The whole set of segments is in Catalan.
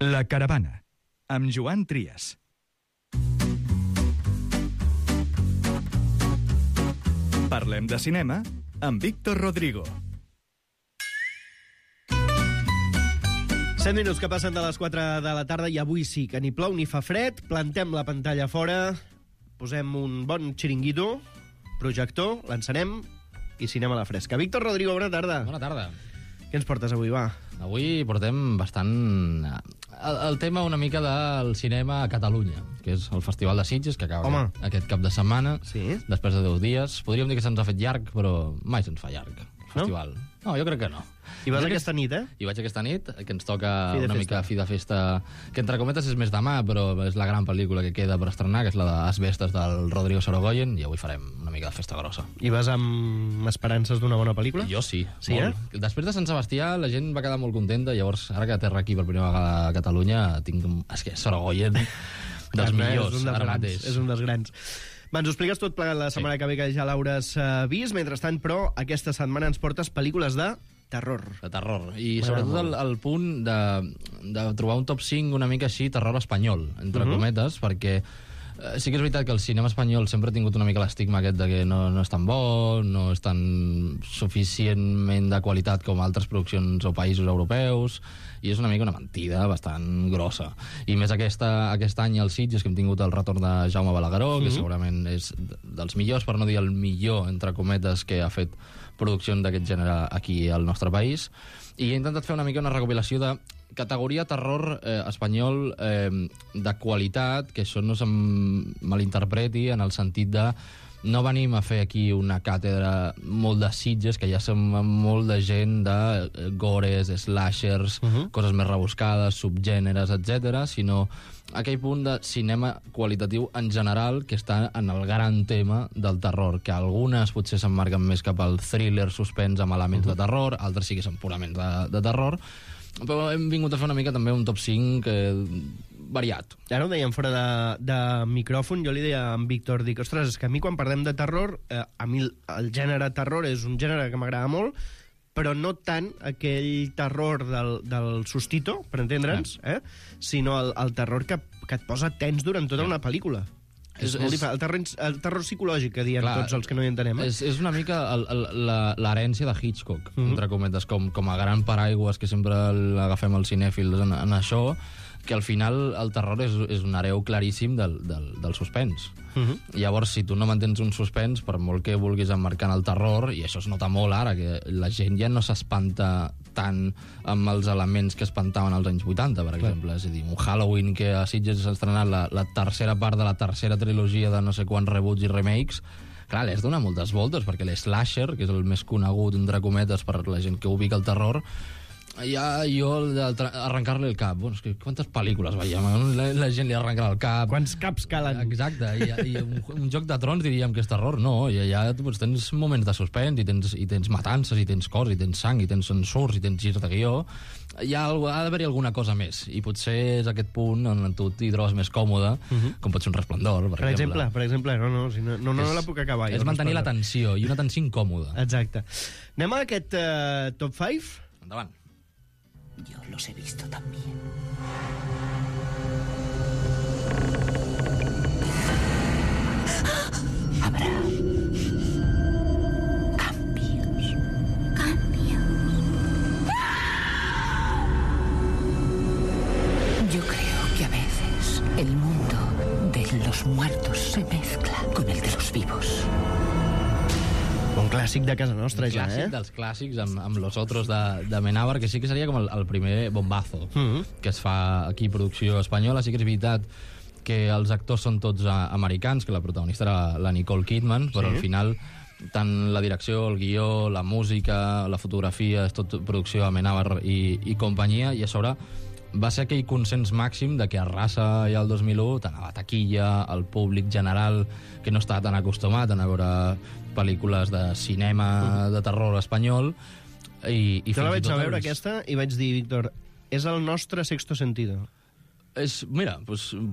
La Caravana, amb Joan Trias. Parlem de cinema amb Víctor Rodrigo. 7 minuts que passen de les 4 de la tarda i avui sí que ni plou ni fa fred. Plantem la pantalla fora, posem un bon xiringuito, projector, l'encenem i cinema a la fresca. Víctor Rodrigo, bona tarda. Bona tarda. Què ens portes avui, va? Avui portem bastant el tema una mica del cinema a Catalunya, que és el Festival de Sitges, que acaba aquest cap de setmana, després de 10 dies. Podríem dir que se'ns ha fet llarg, però mai se'ns fa llarg, el festival. No, jo crec que no. I vas aquesta nit, eh? I vaig aquesta nit, que ens toca una mica fi de festa, que entre cometes és més demà, però és la gran pel·lícula que queda per estrenar, que és la d'Asbestes del Rodrigo Sorogoyen, i avui farem una mica de festa grossa. I vas amb esperances d'una bona pel·lícula? Jo sí. Sí, molt. Després de Sant Sebastià la gent va quedar molt contenta, llavors ara que aterra aquí per primera vegada a Catalunya tinc... És que Sorogoyen dels millors ara mateix. És un dels grans. Va, ens ho expliques tot plegat la setmana que ve, que ja l'hauràs vist. Mentrestant, però, aquesta setmana ens portes pel·lícules de terror. De terror. I sobretot el punt de trobar un top 5 una mica així, terror espanyol, entre cometes, perquè sí que és veritat que el cinema espanyol sempre ha tingut una mica l'estigma aquest de que no és tan bo, no és tan suficientment de qualitat com altres produccions o països europeus, i és una mica una mentida bastant grossa. I més aquest any als Sitges, que hem tingut el retorn de Jaume Balagueró, que segurament és dels millors, per no dir el millor, entre cometes, que ha fet produccions d'aquest gènere aquí al nostre país, i he intentat fer una mica una recopilació de categoria terror espanyol de qualitat, que això no se'm malinterpreti en el sentit de no venim a fer aquí una càtedra molt de Sitges, que ja som molt de gent de gores, slashers, coses més rebuscades, subgèneres, etc., sinó aquell punt de cinema qualitatiu en general que està en el gran tema del terror, que algunes potser s'emmarquen més cap al thriller suspens amb elements de terror, altres sí que són purament de terror, però hem vingut a fer una mica també un top 5 variat. Ara ho dèiem fora de micròfon, jo li deia a en Víctor, dic, ostres, és que a mi quan parlem de terror, a mi el gènere terror és un gènere que m'agrada molt, però no tant aquell terror del sustito, per entendre'ns, sinó el terror que et posa tens durant tota una pel·lícula. És molt diferent. El terror psicològic, que diem tots els que no hi entenem. És una mica l'herència de Hitchcock, entre cometes, com a gran paraigües que sempre l'agafem els cinèfils en això, que al final el terror és un hereu claríssim del suspens. Llavors, si tu no mantens un suspens, per molt que vulguis emmarcar en el terror, i això es nota molt ara, que la gent ja no s'espanta tant amb els elements que espantaven als anys 80, per exemple. És a dir, un Halloween que a Sitges s'ha estrenat la tercera part de la tercera trilogia de no sé quants reboots i remakes, clar, l'has donat moltes voltes, perquè l'Slasher, que és el més conegut, entre cometes, per la gent que ubica el terror, ja jo arrencar-li el cap, bueno, és que quantes pel·lícules veiem, la gent li arrencarà el cap, quants caps calen. Exacte, i un Joc de Trons diríem que és terror, no, i allà tens moments de suspens, i tens matances, i tens cors, i tens sang, i tens censurs, i tens girs de guió, ha d'haver-hi alguna cosa més, i potser és aquest punt on tu t'hi trobes més còmode, com pot ser un Resplendor, per exemple. Per exemple, no la puc acabar. És mantenir la tensió, i una tensió incòmoda. Exacte. Anem a aquest top 5? Endavant. Yo los he visto también. Habrá cambios. Yo creo que a veces el mundo de los muertos se mezcla con el de los vivos. Un clàssic de casa nostra, ja, eh? Clàssic dels clàssics, amb Los Otros de Amenábar, que sí que seria com el primer bombazo que es fa aquí, producció espanyola. Sí que és veritat que els actors són tots americans, que la protagonista era la Nicole Kidman, però al final tant la direcció, el guió, la música, la fotografia, és tot producció Amenábar i companyia, i a sobre va ser aquell consens màxim de que arrasa ja el 2001, tant a la taquilla, al públic general, que no estava tan acostumat a veure pel·lícules de cinema de terror espanyol. Jo la vaig a veure aquesta i vaig dir, Víctor, és el nostre Sexto Sentido. Mira,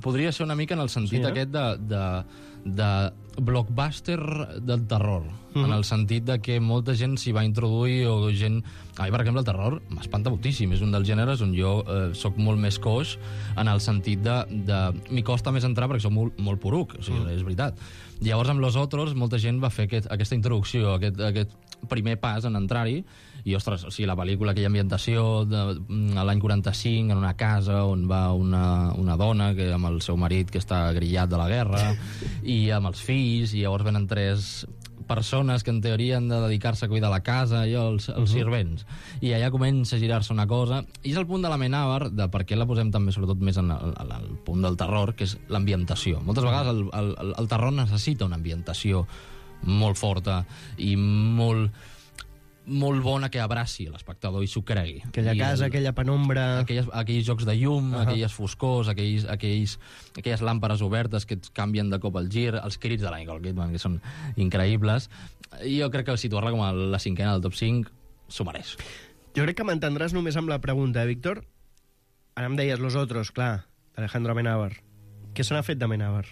podria ser una mica en el sentit aquest de blockbuster del terror, en el sentit de que molta gent s'hi va introduir, o gent... A mi, per exemple, el terror m'espanta moltíssim. És un dels gèneres on jo soc molt més coix, en el sentit de m'hi costa més entrar perquè soc molt poruc, o sigui, és veritat. Llavors, amb Los Otros, molta gent va fer aquesta introducció, aquest primer pas en entrar-hi, i, ostres, o sigui, la pel·lícula, aquella ambientació de l'any 45, en una casa on va una dona amb el seu marit que està grillat de la guerra, i amb els fills, i llavors venen 3 persones que en teoria han de dedicar-se a cuidar la casa, els servents. I allà comença a girar-se una cosa, i és el punt de l'Amenábar, de per què la posem també, sobretot, més en el punt del terror, que és l'ambientació. Moltes vegades el terror necessita una ambientació molt forta i molt bona, que abraci l'espectador i s'ho cregui. Aquella casa, aquella penombra... Aquells jocs de llum, aquelles foscors, aquelles làmperes obertes que et canvien de cop el gir, els crits de la Nicole Kidman, que són increïbles. I jo crec que situar-la com a la 5ª del top 5 s'ho mereix. Jo crec que m'entendràs només amb la pregunta, Víctor. Ara em deies Los Otros, clar, Alejandro Amenábar. Què se n'ha fet d'Amenábar?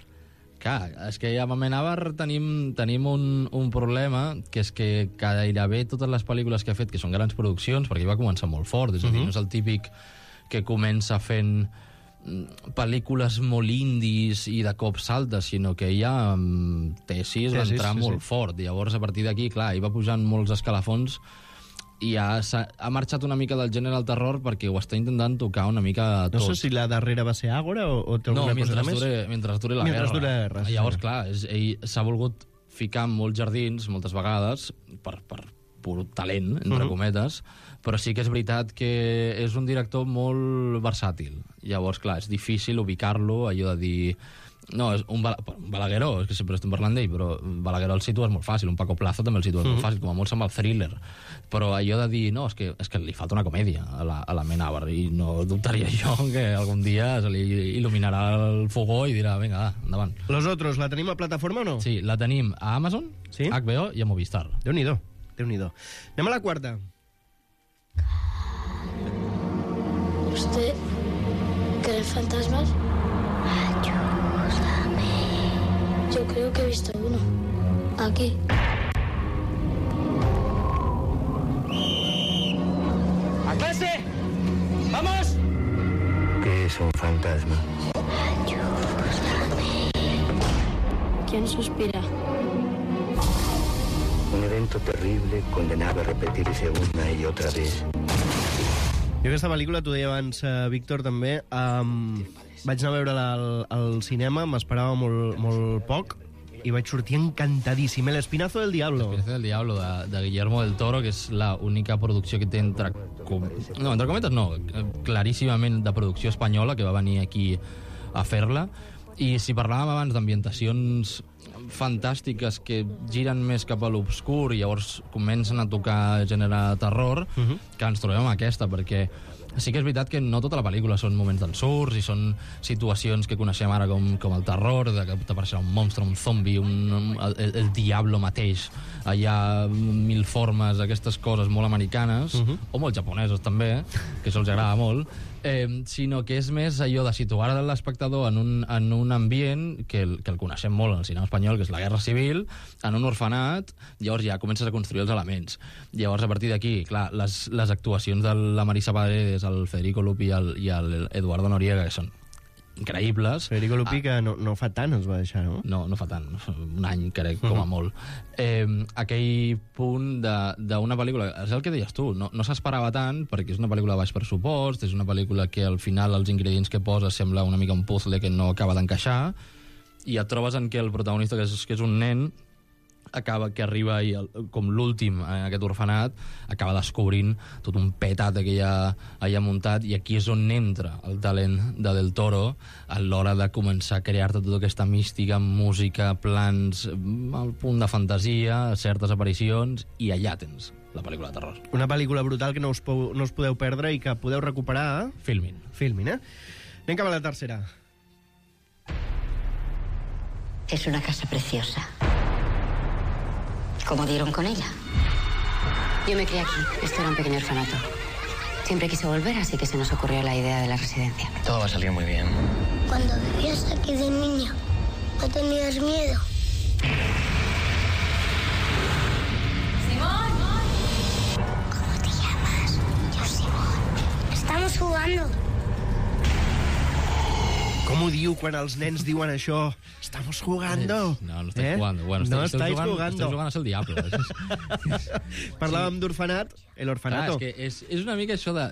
Clar, és que amb Amenábar tenim un problema, que és que gairebé totes les pel·lícules que ha fet, que són grans produccions, perquè va començar molt fort, és a dir, no és el típic que comença fent pel·lícules molt indis i de cop saltes, sinó que ja Tesis va entrar molt fort. Llavors, a partir d'aquí, clar, hi va pujant molts escalafons, i ha marxat una mica del gènere del terror perquè ho està intentant tocar una mica tot. No sé si la darrera va ser Àgora o té alguna cosa més. No, mentre duri la guerra. Llavors, clar, ell s'ha volgut ficar en molts jardins, moltes vegades, per pur talent, entre cometes, però sí que és veritat que és un director molt versàtil. Llavors, clar, és difícil ubicar-lo, allò de dir... No, és un Balagueró, és que sempre estem parlant d'ell, però Balagueró el situes molt fàcil, un Paco Plaza també el situes molt fàcil, com a molt se'n va el Thriller. Però allò de dir, no, és que li falta una comèdia a l'Amenábar, i no dubtaria jo que algun dia se li il·luminarà el fogó i dirà, vinga, endavant. Los Otros, la tenim a plataforma o no? Sí, la tenim a Amazon, HBO i a Movistar. Déu-n'hi-do. Anem a la quarta. ¿Usted cree en fantasmas? Yo creo que he visto uno. Aquí. ¡A clase! ¡Vamos! ¿Qué es un fantasma? ¿Quién suspira? Un evento terrible condenado a repetirse una y otra vez. Jo aquesta pel·lícula, t'ho deia abans, Víctor, també, vaig anar a veure-la al cinema, m'esperava molt poc, i vaig sortir encantadíssim. El Espinazo del Diablo. El Espinazo del Diablo, de Guillermo del Toro, que és l'única producció que té entre cometes no, claríssimament de producció espanyola, que va venir aquí a fer-la. I si parlàvem abans d'ambientacions fantàstiques que giren més cap a l'obscur i llavors comencen a tocar gènere terror, que ens trobem amb aquesta, perquè sí que és veritat que no tota la pel·lícula són moments d'ensurts i són situacions que coneixem ara com el terror, de que t'apareixerà un monstre, un zombi, el diablo mateix, allà mil formes, aquestes coses molt americanes, o molt japoneses també, que això els agrada molt, sinó que és més allò de situar l'espectador en un ambient que el coneixem molt en el cinema espanyol, que és la Guerra Civil, en un orfenat, llavors ja comences a construir els elements. Llavors, a partir d'aquí, clar, les actuacions de la Marisa Paredes, el Federico Lupi i el Eduardo Noriega, que són increïbles. Federico Lupi, que no fa tant es va deixar, no? No fa tant, un any, crec, com a molt. Aquell punt d'una pel·lícula, és el que deies tu, no s'esperava tant, perquè és una pel·lícula de baix pressupost, és una pel·lícula que al final els ingredients que posa sembla una mica un puzzle que no acaba d'encaixar, i et trobes en què el protagonista, que és un nen, que arriba com l'últim en aquest orfenat, acaba descobrint tot un petat que hi ha allà muntat, i aquí és on entra el talent de Del Toro a l'hora de començar a crear-te tota aquesta mística, música, plans, al punt de fantasia, certes aparicions, i allà tens la pel·lícula de terror. Una pel·lícula brutal que no us podeu perdre i que podeu recuperar... Filmin, Anem cap a la tercera. Es una casa preciosa. ¿Cómo dieron con ella? Yo me crié aquí. Esto era un pequeño orfanato. Siempre quise volver, así que se nos ocurrió la idea de la residencia. Todo va a salir muy bien. Cuando vivías aquí de niña, ¿no tenías miedo? ¿Cómo te llamas? Yo, Simón. Estamos jugando. Com ho diu quan els nens diuen això? Estamos jugando. No estáis jugando. Bueno, no estáis jugando. jugando. Estáis jugando es el diablo. Parlàvem d'orfanat, el orfanato. Clar, és una mica això de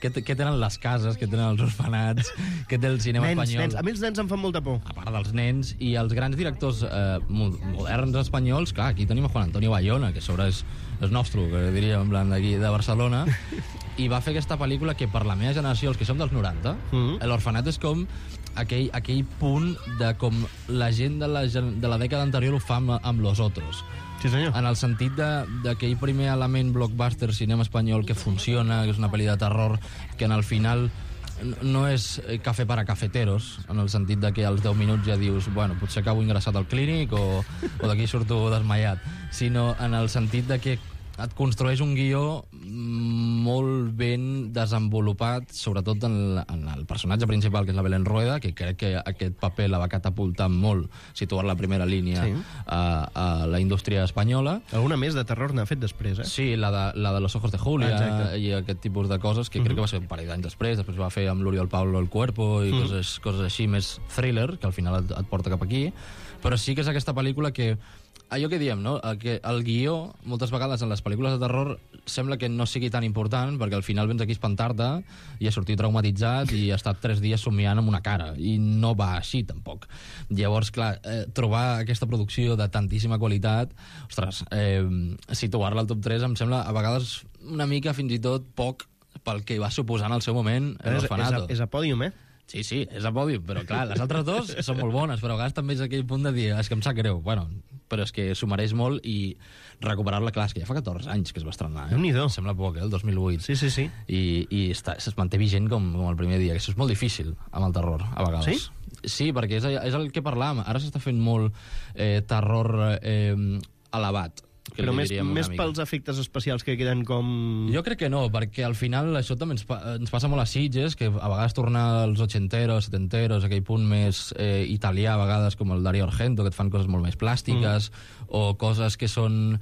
què tenen les cases, què tenen els orfanats, què té el cinema espanyol. Nens. A mi els nens em fan molta por. A part dels nens i els grans directors moderns espanyols, clar, aquí tenim a Juan Antonio Bayona, que a sobre és nostre, que diríem, en plan d'aquí de Barcelona, i va fer aquesta pel·lícula que per la meva generació, els que som dels 90, l'orfanat és com aquell punt de com la gent de la dècada anterior ho fa amb Los Otros. Sí, senyor. En el sentit d'aquell primer element blockbuster cinema espanyol que funciona, que és una pel·li de terror, que en el final no és cafè para cafeteros, en el sentit de que als 10 minuts ja dius, bueno, potser acabo ingressat al clínic o d'aquí surto desmaiat, sinó en el sentit de que et construeix un guió molt ben desenvolupat, sobretot en el personatge principal, que és la Belén Rueda, que crec que aquest paper la va catapultar molt, situar-la a primera línia a la indústria espanyola. Alguna més de terror n'ha fet després, eh? Sí, la de Los Ojos de Julia i aquest tipus de coses, que crec que va ser un parell d'anys després va fer amb l'Oriol Paulo El Cuerpo i coses així, més thriller, que al final et porta cap aquí, però sí que és aquesta pel·lícula que allò que diem, no? Que el guió, moltes vegades en les pel·lícules de terror, sembla que no sigui tan important, perquè al final vens aquí a espantar-te i a sortir traumatitzat i ha estat 3 dies somiant amb una cara, i no va així, tampoc. Llavors, clar, trobar aquesta producció de tantíssima qualitat, ostres, situar-la al top 3 em sembla, a vegades, una mica, fins i tot, poc pel que va suposar en el seu moment l'Orfanato. És a pòdium, eh? Sí, és a pòdium, però clar, les altres dos són molt bones, però a vegades també és aquell punt de dir, és que em sap greu, bueno, però és que s'ho mereix molt i recuperar-la, clar, és que ja fa 14 anys que es va estrenar, Déu-n'hi-do. Sembla poc, el 2008. Sí. I es manté vigent com el primer dia, que això és molt difícil amb el terror, a vegades. Sí, perquè és el que parlàvem, ara s'està fent molt terror elevat, però més pels efectes especials que queden com... Jo crec que no, perquè al final això també ens passa molt a Sitges, que a vegades torna als 80eros, 70eros, aquell punt més italià, a vegades com el Dario Argento, que et fan coses molt més plàstiques, o coses que són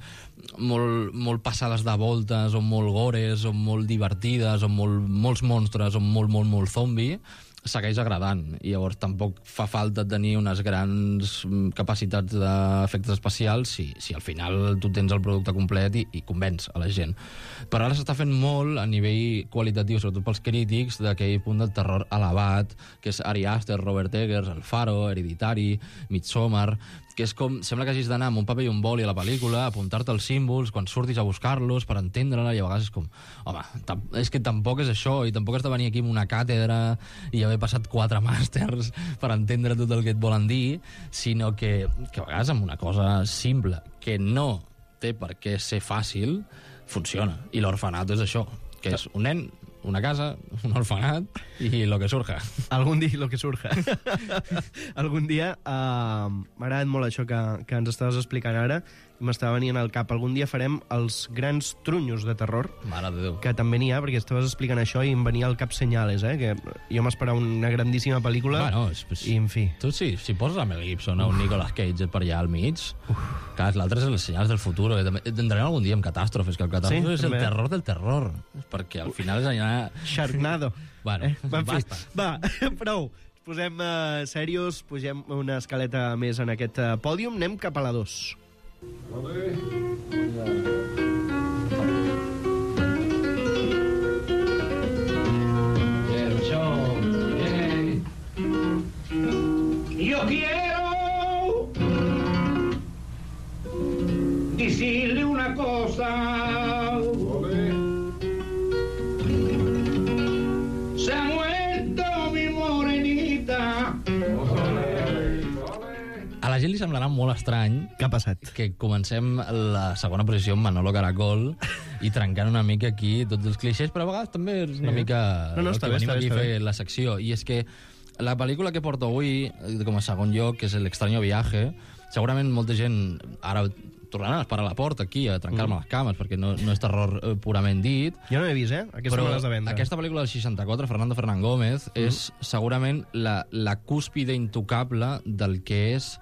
molt passades de voltes, o molt gores, o molt divertides, o molts monstres, o molt zombi, segueix agradant, i llavors tampoc fa falta tenir unes grans capacitats d'efectes especials si al final tu tens el producte complet i convenç a la gent. Però ara s'està fent molt a nivell qualitatiu, sobretot pels crítics, d'aquell punt del terror elevat, que és Ari Aster, Robert Eggers, El Faro, Hereditary, Midsommar, que és com, sembla que hagis d'anar amb un paper i un boli a la pel·lícula, apuntar-te els símbols, quan surtis a buscar-los per entendre-la, i a vegades és com, home, és que tampoc és això, i tampoc has de venir aquí amb una càtedra i haver passat 4 màsters per entendre tot el que et volen dir, sinó que a vegades amb una cosa simple, que no té per què ser fàcil, funciona. I l'orfanato és això, que és un nen, una casa, un orfanat i lo que surja. Algun dia lo que surja. Algun dia, m'ha agradat molt això que ens estaves explicant ara, m'estava venint al cap. Algun dia farem els grans trunyos de terror, Mare de Déu. que també n'hi ha, perquè estaves explicant això i em venia al cap Senyales, que jo m'esperava una grandíssima pel·lícula, i en fi. Tu si poses a Mel Gibson o un Nicolas Cage per allà al mig, clar, l'altre és les senyals del futur, que també tindrem algun dia amb catàstrofes, que el catàstrofe és el terror del terror, perquè al final és allà... Sharknado. Bueno, basta. Va, prou. Posem serios, pugem una escaleta més en aquest pòdium, anem cap a la 2. Yo quiero decirle una cosa. Se ha muerto mi morenita. A la gent li semblarà molt estrany Què ha passat? que comencem la segona posició amb Manolo Caracol i trencant una mica aquí tots els clixés, però a vegades també és una mica No, el està que bé, venim està aquí bé, a fer la secció. I és que la pel·lícula que porto avui, com a segon lloc, que és El extraño viaje, segurament molta gent ara tornaran a esperar a la porta aquí a trencar-me les cames, perquè no és terror purament dit. Jo no he vist, Aquesta me l'has de vendre. Aquesta pel·lícula del 64, Fernando Fernán Gómez, és segurament la cúspide intocable del que és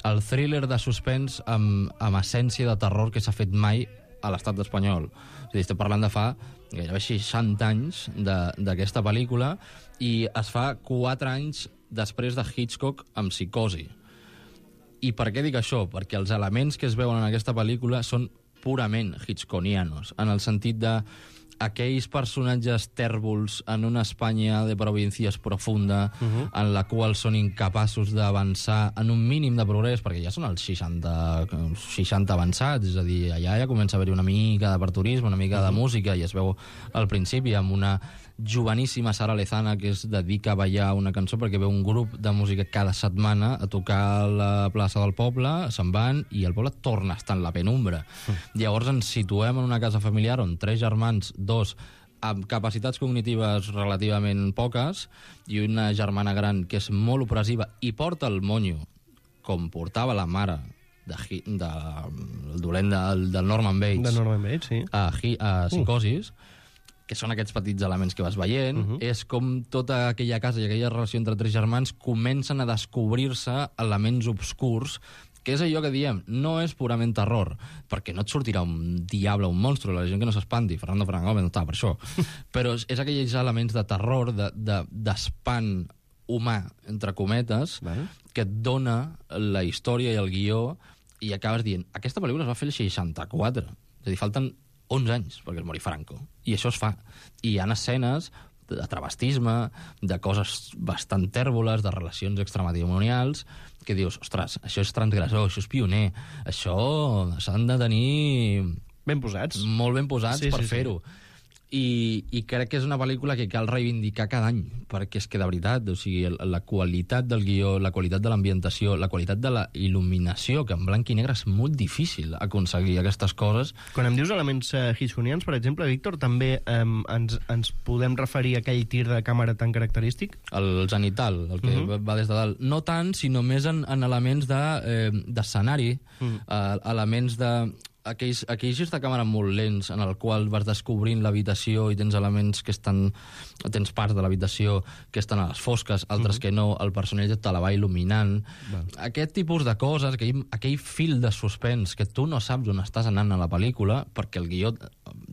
el thriller de suspens amb essència de terror que s'ha fet mai a l'estat espanyol. És a dir, estem parlant de fa gairebé 60 anys d'aquesta pel·lícula i es fa 4 anys després de Hitchcock amb Psicosi. I per què dic això? Perquè els elements que es veuen en aquesta pel·lícula són purament hitchcockianos, en el sentit de aquells personatges tèrbols en una Espanya de províncies profunda en la qual són incapaços d'avançar en un mínim de progrés, perquè ja són els 60 avançats, és a dir, allà ja comença a haver-hi una mica d'aperturisme, una mica de música, i es veu al principi amb una joveníssima Sara Lezana que es dedica a ballar una cançó perquè veu un grup de música cada setmana a tocar a la plaça del poble, se'n van i el poble torna a estar en la penumbra. Llavors ens situem en una casa familiar on 3 germans, 2 amb capacitats cognitives relativament poques i una germana gran que és molt opressiva i porta el monyo com portava la mare del dolent del Norman Bates, De Norman Bates, sí. a Psicosis, que són aquests petits elements que vas veient, és com tota aquella casa i aquella relació entre 3 germans comencen a descobrir-se elements obscurs, que és allò que diem, no és purament terror, perquè no et sortirà un diable, un monstru, la gent que no s'espanti, Fernando Fernández no està per això, però és aquells elements de terror, d'espant humà, entre cometes, que et dona la història i el guió, i acabes dient, aquesta pel·lícula es va fer el 64, és a dir, falten 11 anys perquè es mori Franco, i això es fa. I hi ha escenes de travestisme, de coses bastant tèrboles, de relacions extramatrimonials, que dius, ostres, això és transgressor, això és pioner, això s'han de tenir... Ben posats. Molt ben posats per fer-ho. I crec que és una pel·lícula que cal reivindicar cada any, perquè és que de veritat, o sigui, la qualitat del guió, la qualitat de l'ambientació, la qualitat de la il·luminació, que en blanc i negre és molt difícil aconseguir aquestes coses. Quan em dius elements hitchcockians, per exemple, Víctor, també ens podem referir a aquell tir de càmera tan característic? El zenital, el que va des de dalt. No tant, sinó més en elements d'escenari, elements de... aquells girs de càmera molt lents en el qual vas descobrint l'habitació i tens elements que estan... tens parts de l'habitació que estan a les fosques, altres que no, el personatge te la va il·luminant. Aquest tipus de coses, aquell fil de suspens que tu no saps on estàs anant a la pel·lícula, perquè el guió,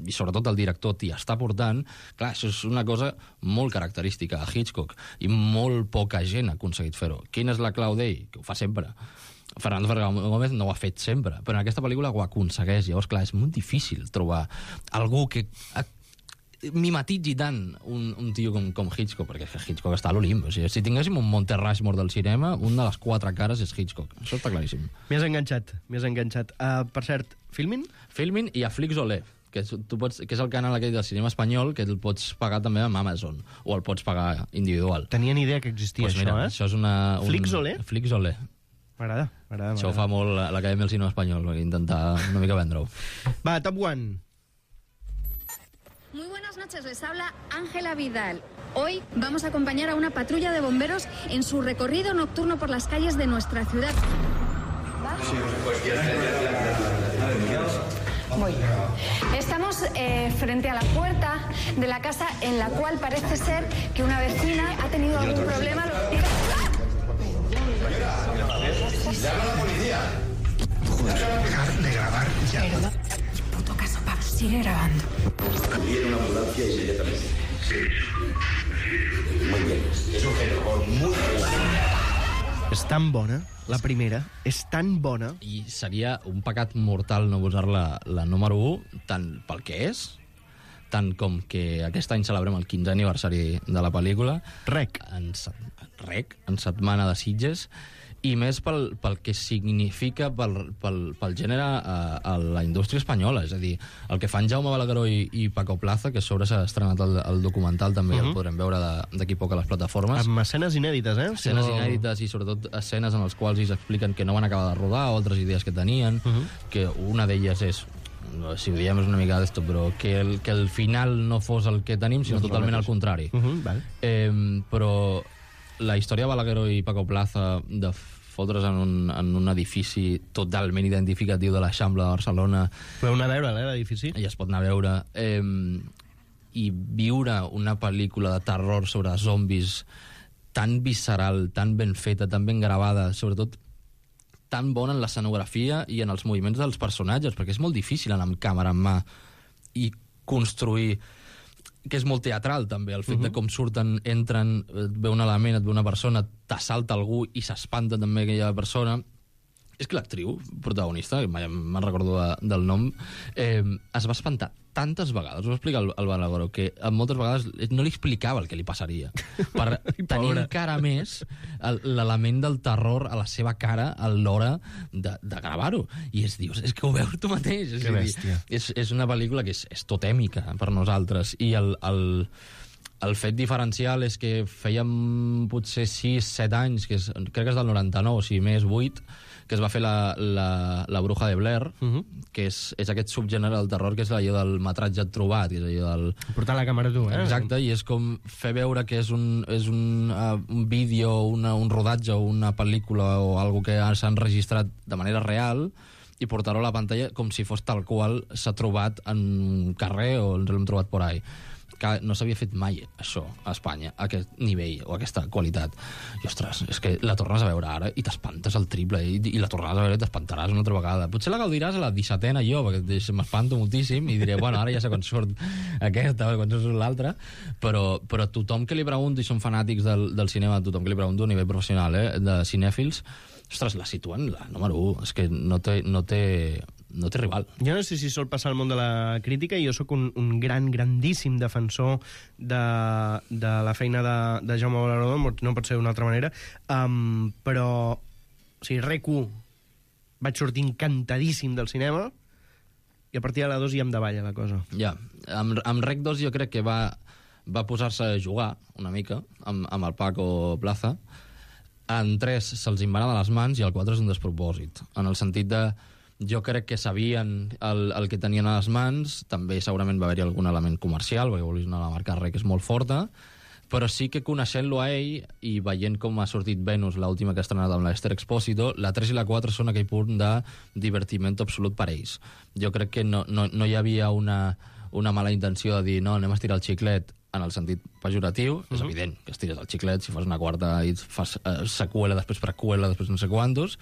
i sobretot el director, t'hi està portant, clar, això és una cosa molt característica a Hitchcock, i molt poca gent ha aconseguit fer-ho. Quina és la clau d'ell? Que ho fa sempre. Fernando Gómez no ho ha fet sempre, però en aquesta pel·lícula ho aconsegueix. Llavors, clar, és molt difícil trobar algú que mimetitzi tant un tio com Hitchcock, perquè Hitchcock està a l'Olimp. O sigui, si tinguéssim un Monte Rushmore del cinema, una de les 4 cares és Hitchcock. Això està claríssim. M'hi has enganxat. Per cert, Filmin? Filmin i a Flixolé, que és el canal aquell del cinema espanyol, que el pots pagar també amb Amazon, o el pots pagar individual. Tenia ni idea que existia pues mira, això és una... Flixolé? Flixolé. M'agrada. Això ho fa molt l'Acadèmia del Cinema Espanyol, per intentar una mica vendre-ho. Va, Top One. Muy buenas noches, les habla Ángela Vidal. Hoy vamos a acompañar a una patrulla de bomberos en su recorrido nocturno por las calles de nuestra ciudad. Muy bien. Estamos frente a la puerta de la casa en la cual parece ser que una vecina ha tenido algún problema. ¡Llama a la policía! Joder, dejar de grabar ya. Perdón. Puto caso, Pablo, sigue grabando. Viene una ambulancia inmediatamente. Sí. Muy bien. Es un género muy bueno. És tan bona, la primera, és tan bona. I seria un pecat mortal no posar-la la número 1, tant pel que és, tant com que aquest any celebrem el 15è aniversari de la pel·lícula. Rec. En setmana de Sitges, i més pel que significa pel gènere a la indústria espanyola. És a dir, el que fan Jaume Balagueró i Paco Plaza, que a sobre s'ha estrenat el documental, també el podrem veure d'aquí poc a les plataformes. Amb escenes inèdites, Escenes inèdites i sobretot escenes en les quals ells expliquen que no van acabar de rodar o altres idees que tenien, que una d'elles és, si ho diem és una mica d'esto, però que el final no fos el que tenim, sinó totalment al contrari. Però la història de Balagueró i Paco Plaza de fotre's en un edifici totalment identificatiu de l'Eixample de Barcelona. Podeu anar a veure l'edifici? I es pot anar a veure. I viure una pel·lícula de terror sobre zombis tan visceral, tan ben feta, tan ben gravada, sobretot tan bona en l'escenografia i en els moviments dels personatges, perquè és molt difícil anar amb càmera en mà i construir, que és molt teatral també, el fet de com surten, entren, et ve un element, et ve una persona, t'assalta algú i s'espanta també aquella persona. És que l'actriu protagonista, que mai me'n recordo del nom, es va espantar tantes vegades, ho va explicar el Balagoro, que moltes vegades no li explicava el que li passaria, per tenir encara més l'element del terror a la seva cara a l'hora de gravar-ho. I dius, és que ho veus tu mateix. Que bèstia. És una pel·lícula que és totèmica per nosaltres, i el fet diferencial és que fèiem potser 6-7 anys, crec que és del 99, o sigui, més 8, que es va fer la Bruja de Blair, que és aquest subgènere del terror, que és allò del metratge trobat, que és allò del... Portar la càmera tu, Exacte, i és com fer veure que és un vídeo, un rodatge o una pel·lícula o algo que s'ha enregistrat de manera real i portar-ho a la pantalla com si fos tal qual s'ha trobat en un carrer o ens l'hem trobat por ahí. Que no s'havia fet mai això a Espanya, a aquest nivell o a aquesta qualitat. I, ostres, és que la tornes a veure ara i t'espantes el triple, i la tornaràs a veure i t'espantaràs una altra vegada. Potser la gaudiràs a la 17a jo, perquè m'espanto moltíssim i diré, bueno, ara ja sé quan surt aquesta o quan surt l'altra, però tothom que li pregunto, i són fanàtics del cinema, tothom que li pregunto a nivell professional, de cinèfils, ostres, la situen la número 1, és que no té rival. Jo no sé si sol passar al món de la crítica, i jo sóc un grandíssim defensor de la feina de Jaume Ballaró, no pot ser d'una altra manera, però o sigui, REC1 vaig sortir encantadíssim del cinema i a partir de la 2 ja em davalla la cosa. Ja, amb REC2 jo crec que va posar-se a jugar una mica amb el Paco Plaza. En 3 se'ls en va anar de les mans i el 4 és un despropòsit, en el sentit de jo crec que sabien el que tenien a les mans, també segurament va haver-hi algun element comercial, perquè vulguis anar a la marca REC és molt forta, però sí que coneixent-lo a ell i veient com ha sortit Venus, l'última que ha estrenat amb l'Esther Expósito, la 3 i la 4 són aquell punt de divertiment absolut per ells. Jo crec que no hi havia una mala intenció de dir no, anem a estirar el xiclet en el sentit pejoratiu. És evident que estires el xiclet, si fas una quarta i fas seqüela, després preqüela, després no sé quantos.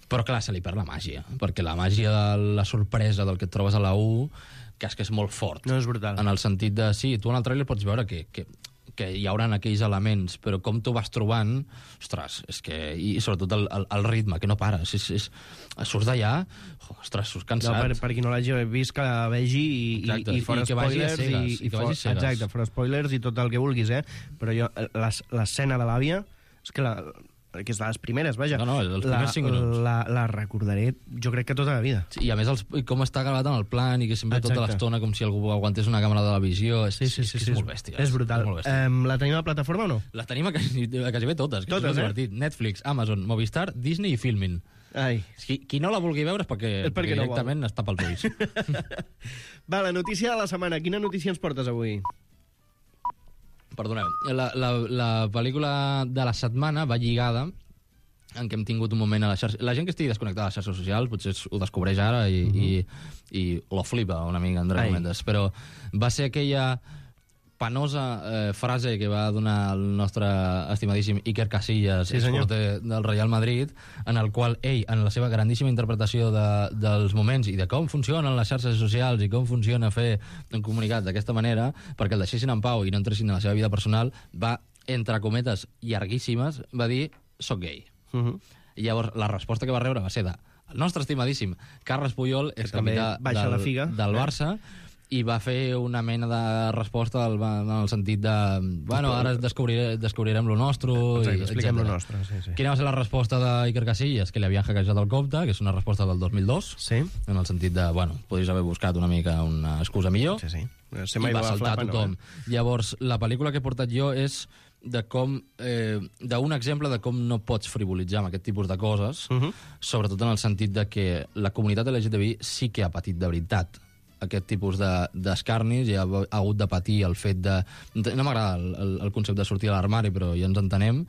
Però clar, se li perd la màgia, perquè la màgia de la sorpresa del que et trobes a la 1, que és molt fort. No, és brutal. En el sentit de, sí, tu en el tràiler pots veure que hi haurà aquells elements, però com tu vas trobant, ostres, és que... I sobretot el ritme, que no para. Surts d'allà, ostres, surts cansat. No, per qui no l'hagi vist, que la vegi i fora spoilers. Exacte, fora spoilers i tot el que vulguis, Però jo, l'escena de l'àvia, és que és de les primeres, vaja. No, els primers 5 minuts. La recordaré, jo crec que tota la vida. Sí, i a més, com està gravat en el plan i que sempre tota l'estona com si algú aguantés una càmera de la visió, és molt bèstia. És brutal. La tenim a plataforma o no? La tenim a quasi bé totes. És divertit. Netflix, Amazon, Movistar, Disney i Filmin. Ai. Qui no la vulgui veure és perquè directament no està pels ulls. Va, la notícia de la setmana. Quina notícia ens portes avui? Perdoneu, la pel·lícula de la setmana va lligada en què hem tingut un moment a la xarxa. La gent que estigui desconnectada a les xarxes socials potser ho descobreix ara i lo flipa una mica, entre cometes, però va ser aquella penosa frase que va donar el nostre estimadíssim Iker Casillas, exporter del Real Madrid, en el qual ell, en la seva grandíssima interpretació dels moments i de com funcionen les xarxes socials i com funciona fer un comunicat d'aquesta manera, perquè el deixessin en pau i no entressin en la seva vida personal, va, entre cometes llarguíssimes, va dir, soc gay. I llavors la resposta que va rebre va ser el nostre estimadíssim Carles Puyol, és capità del Barça, i va fer una mena de resposta en el sentit de bueno, ara descobrirem lo nostre. Exacte, expliquem lo nostre, sí. Quina va ser la resposta d'Iker Casillas? Que li havien hackejat el compte, que és una resposta del 2002, en el sentit de, bueno, podries haver buscat una mica una excusa millor. Sí. I va saltar tothom. Llavors, la pel·lícula que he portat jo és de com d'un exemple de com no pots frivolitzar amb aquest tipus de coses, sobretot en el sentit de que la comunitat LGTBI sí que ha patit de veritat aquest tipus d'escarnis i ha hagut de patir el fet de... No m'agrada el concepte de sortir a l'armari, però ja ens entenem,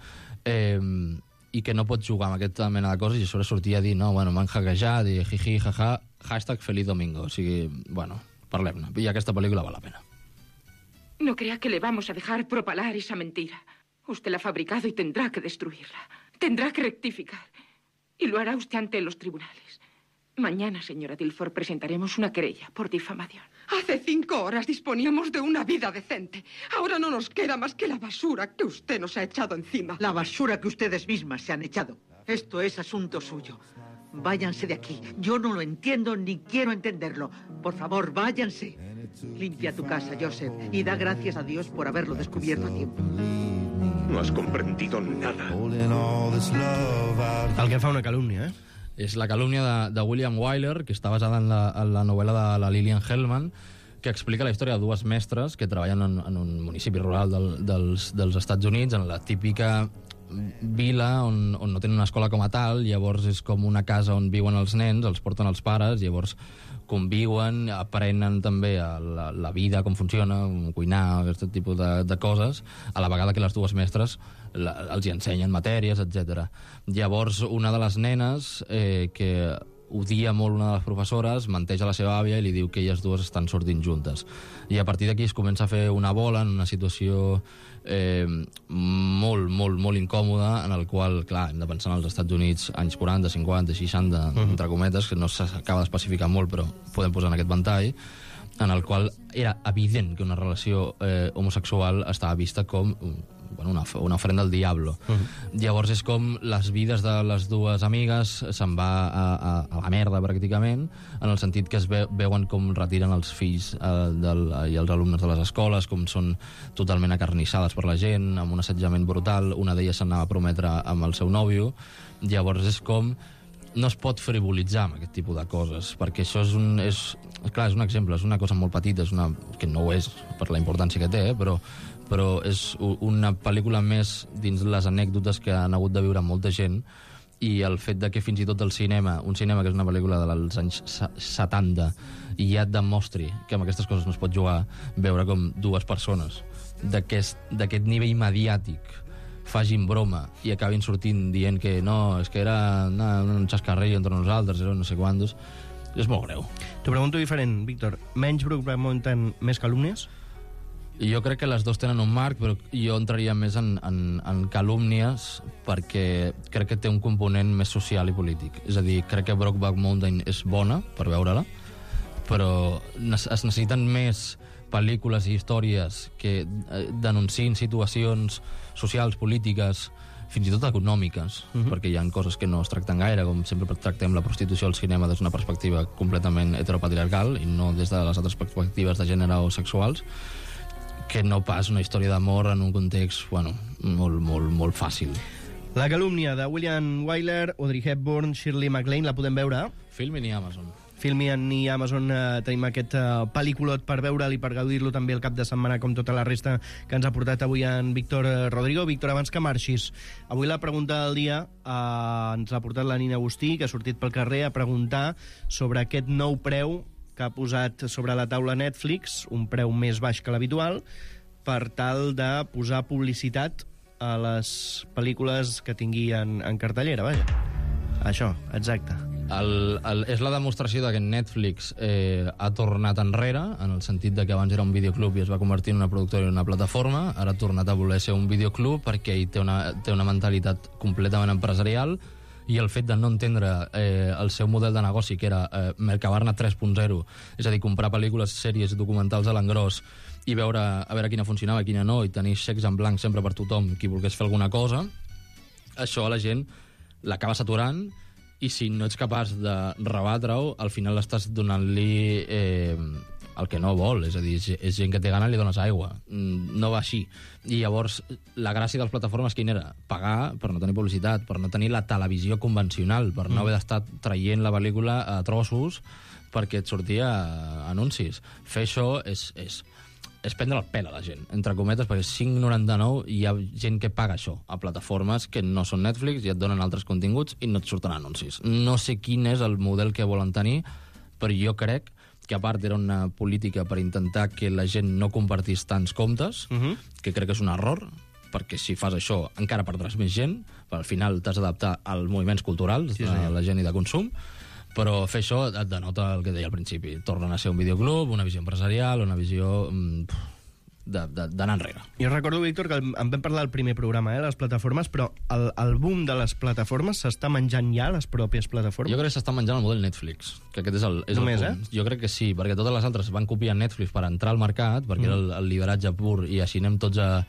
i que no pots jugar amb aquesta mena de coses i a sobre sortir a dir, no, bueno, m'han hackejat i jiji, jaja, #Feliz Domingo. O sigui, bueno, parlem-ne. I aquesta pel·lícula val la pena. No crea que le vamos a dejar propalar esa mentira. Usted la ha fabricado y tendrá que destruirla. Tendrá que rectificar. Y lo hará usted ante los tribunales. Mañana, señora Dilford, presentaremos una querella por difamación. Hace 5 horas disponíamos de una vida decente. Ahora no nos queda más que la basura que usted nos ha echado encima. La basura que ustedes mismas se han echado. Esto es asunto suyo. Váyanse de aquí. Yo no lo entiendo ni quiero entenderlo. Por favor, váyanse. Limpia tu casa, Joseph, y da gracias a Dios por haberlo descubierto a tiempo. No has comprendido nada. El que fa una calúmnia, eh? És la calúmnia de William Wyler, que està basada en la novel·la de la Lillian Hellman, que explica la història de dues mestres que treballen en un municipi rural dels Estats Units, en la típica vila on no tenen una escola com a tal, llavors és com una casa on viuen els nens, els porten els pares, llavors conviuen, aprenen també la vida, com funciona, cuinar, aquest tipus de coses, a la vegada que les dues mestres els hi ensenyen matèries, etc. Llavors, una de les nenes, que odia molt una de les professores, menteix a la seva àvia i li diu que elles dues estan sortint juntes. I a partir d'aquí es comença a fer una bola en una situació molt incòmoda, en el qual, clar, hem de pensar en els Estats Units anys 40, 50, 60, entre cometes, que no s'acaba d'especificar molt, però podem posar en aquest ventall, en el qual era evident que una relació homosexual estava vista com una ofrenda al diablo. Llavors és com les vides de les dues amigues se'n va a la merda, pràcticament, en el sentit que es veuen com retiren els fills i els alumnes de les escoles, com són totalment acarnissades per la gent, amb un assetjament brutal. Una d'elles s'anava a prometre amb el seu nòvio. Llavors és com no es pot frivolitzar amb aquest tipus de coses, perquè això és un exemple, és una cosa molt petita, que no ho és per la importància que té, però és una pel·lícula més dins les anècdotes que han hagut de viure molta gent, i el fet de que fins i tot el cinema, un cinema que és una pel·lícula dels anys 70, i ja et demostri que amb aquestes coses no es pot jugar, veure com dues persones d'aquest nivell mediàtic facin broma i acabin sortint dient que no, és que era un xascarrillo entre nosaltres, era no sé quantos, és molt greu. T'ho pregunto diferent, Víctor. Menys Brokeback Mountain, més calúmnies? Jo crec que les dues tenen un marc, però jo entraria més en calúmnies, perquè crec que té un component més social i polític. És a dir, crec que Brokeback Mountain és bona per veure-la, però es necessiten més pel·lícules i històries que denunciïn situacions socials, polítiques, fins i tot econòmiques, perquè hi ha coses que no es tracten gaire, com sempre tractem la prostitució al cinema des d'una perspectiva completament heteropatriarcal i no des de les altres perspectives de gènere o sexuals, que no pas una història d'amor en un context, molt fàcil. La calúmnia de William Wyler, Audrey Hepburn, Shirley MacLaine, la podem veure? Filmin i Amazon. Filmin i Amazon tenim aquest pel·lículot per veure'l i per gaudir-lo també el cap de setmana, com tota la resta que ens ha portat avui en Víctor Rodrigo. Víctor, abans que marxis, avui la pregunta del dia ens l'ha portat la Nina Agustí, que ha sortit pel carrer a preguntar sobre aquest nou preu que ha posat sobre la taula Netflix, un preu més baix que l'habitual, per tal de posar publicitat a les pel·lícules que tingui en cartellera, vaja. Això, exacte. És la demostració que Netflix ha tornat enrere, en el sentit de que abans era un videoclub i es va convertir en una productora i una plataforma, ara ha tornat a voler ser un videoclub perquè ell té una mentalitat completament empresarial, i el fet de no entendre el seu model de negoci, que era Mercabarna 3.0, és a dir, comprar pel·lícules, sèries, documentals a l'engròs i a veure quina funcionava i quina no, i tenir xecs en blanc sempre per tothom qui volgués fer alguna cosa, això a la gent l'acaba saturant, i si no ets capaç de rebatre-ho, al final estàs donant-li el que no vol, és a dir, és gent que té gana i li dones aigua. No va així. I llavors, la gràcia de les plataformes quina era? Pagar per no tenir publicitat, per no tenir la televisió convencional, per no haver d'estar traient la pel·lícula a trossos perquè et sortia anuncis. Fer això és prendre el pèl a la gent, entre cometes, perquè 5,99 hi ha gent que paga això a plataformes que no són Netflix i et donen altres continguts i no et surten anuncis. No sé quin és el model que volen tenir, però jo crec que a part era una política per intentar que la gent no compartís tants comptes, que crec que és un error, perquè si fas això encara perdràs més gent, però al final t'has d'adaptar als moviments culturals de la gent i de consum, però fer això et denota el que deia al principi. Tornen a ser un videoclub, una visió empresarial, una visió d'anar enrere. Jo recordo, Víctor, que en vam parlar al primer programa, les plataformes, però el boom de les plataformes s'està menjant ja les pròpies plataformes? Jo crec que s'està menjant el model Netflix, que aquest és el Només, punt. Jo crec que sí, perquè totes les altres van copiar Netflix per entrar al mercat, perquè era el lideratge pur i així anem tots a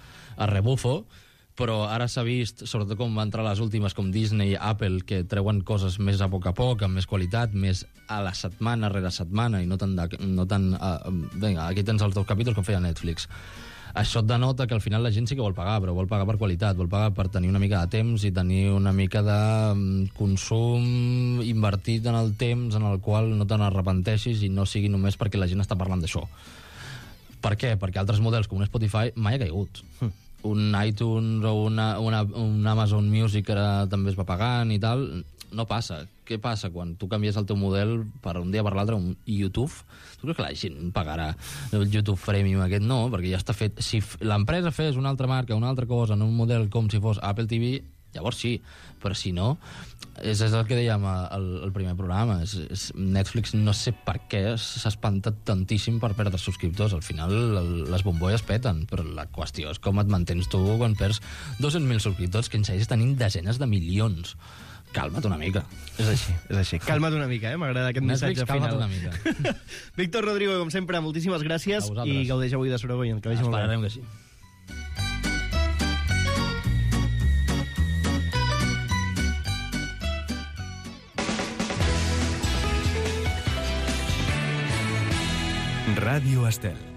rebufo, però ara s'ha vist, sobretot com va entrar les últimes, com Disney i Apple, que treuen coses més a poc, amb més qualitat, més a la setmana rere setmana, i no tant vinga, aquí tens els 2 capítols com feia Netflix. Això et denota que al final la gent sí que vol pagar, però vol pagar per qualitat, vol pagar per tenir una mica de temps i tenir una mica de consum invertit en el temps en el qual no te n'arrepenteixis i no sigui només perquè la gent està parlant d'això. Per què? Perquè altres models, com un Spotify, mai ha caigut. Un iTunes o un Amazon Music que ara també es va pagant i tal, no passa. Què passa quan tu canvies el teu model per un dia per l'altre un YouTube? Tu creus que la gent pagarà el YouTube Premium aquest? No, perquè ja està fet. Si l'empresa fes una altra marca, una altra cosa, en un model com si fos Apple TV, llavors sí, però si no, és el que dèiem al primer programa, Netflix no sé per què s'ha espantat tantíssim per perdre subscriptors. Al final les bombolles peten, però la qüestió és com et mantens tu quan perds 200.000 subscriptors que en segueix tenint desenes de milions. Calma't una mica. És així. Calma't una mica, m'agrada aquest Netflix, missatge final. calma't una mica. Víctor Rodrigo, com sempre, moltíssimes gràcies i gaudeix avui de Sorogoyen. Que vagi molt bé. Esperarem que sí. Ràdio Estel.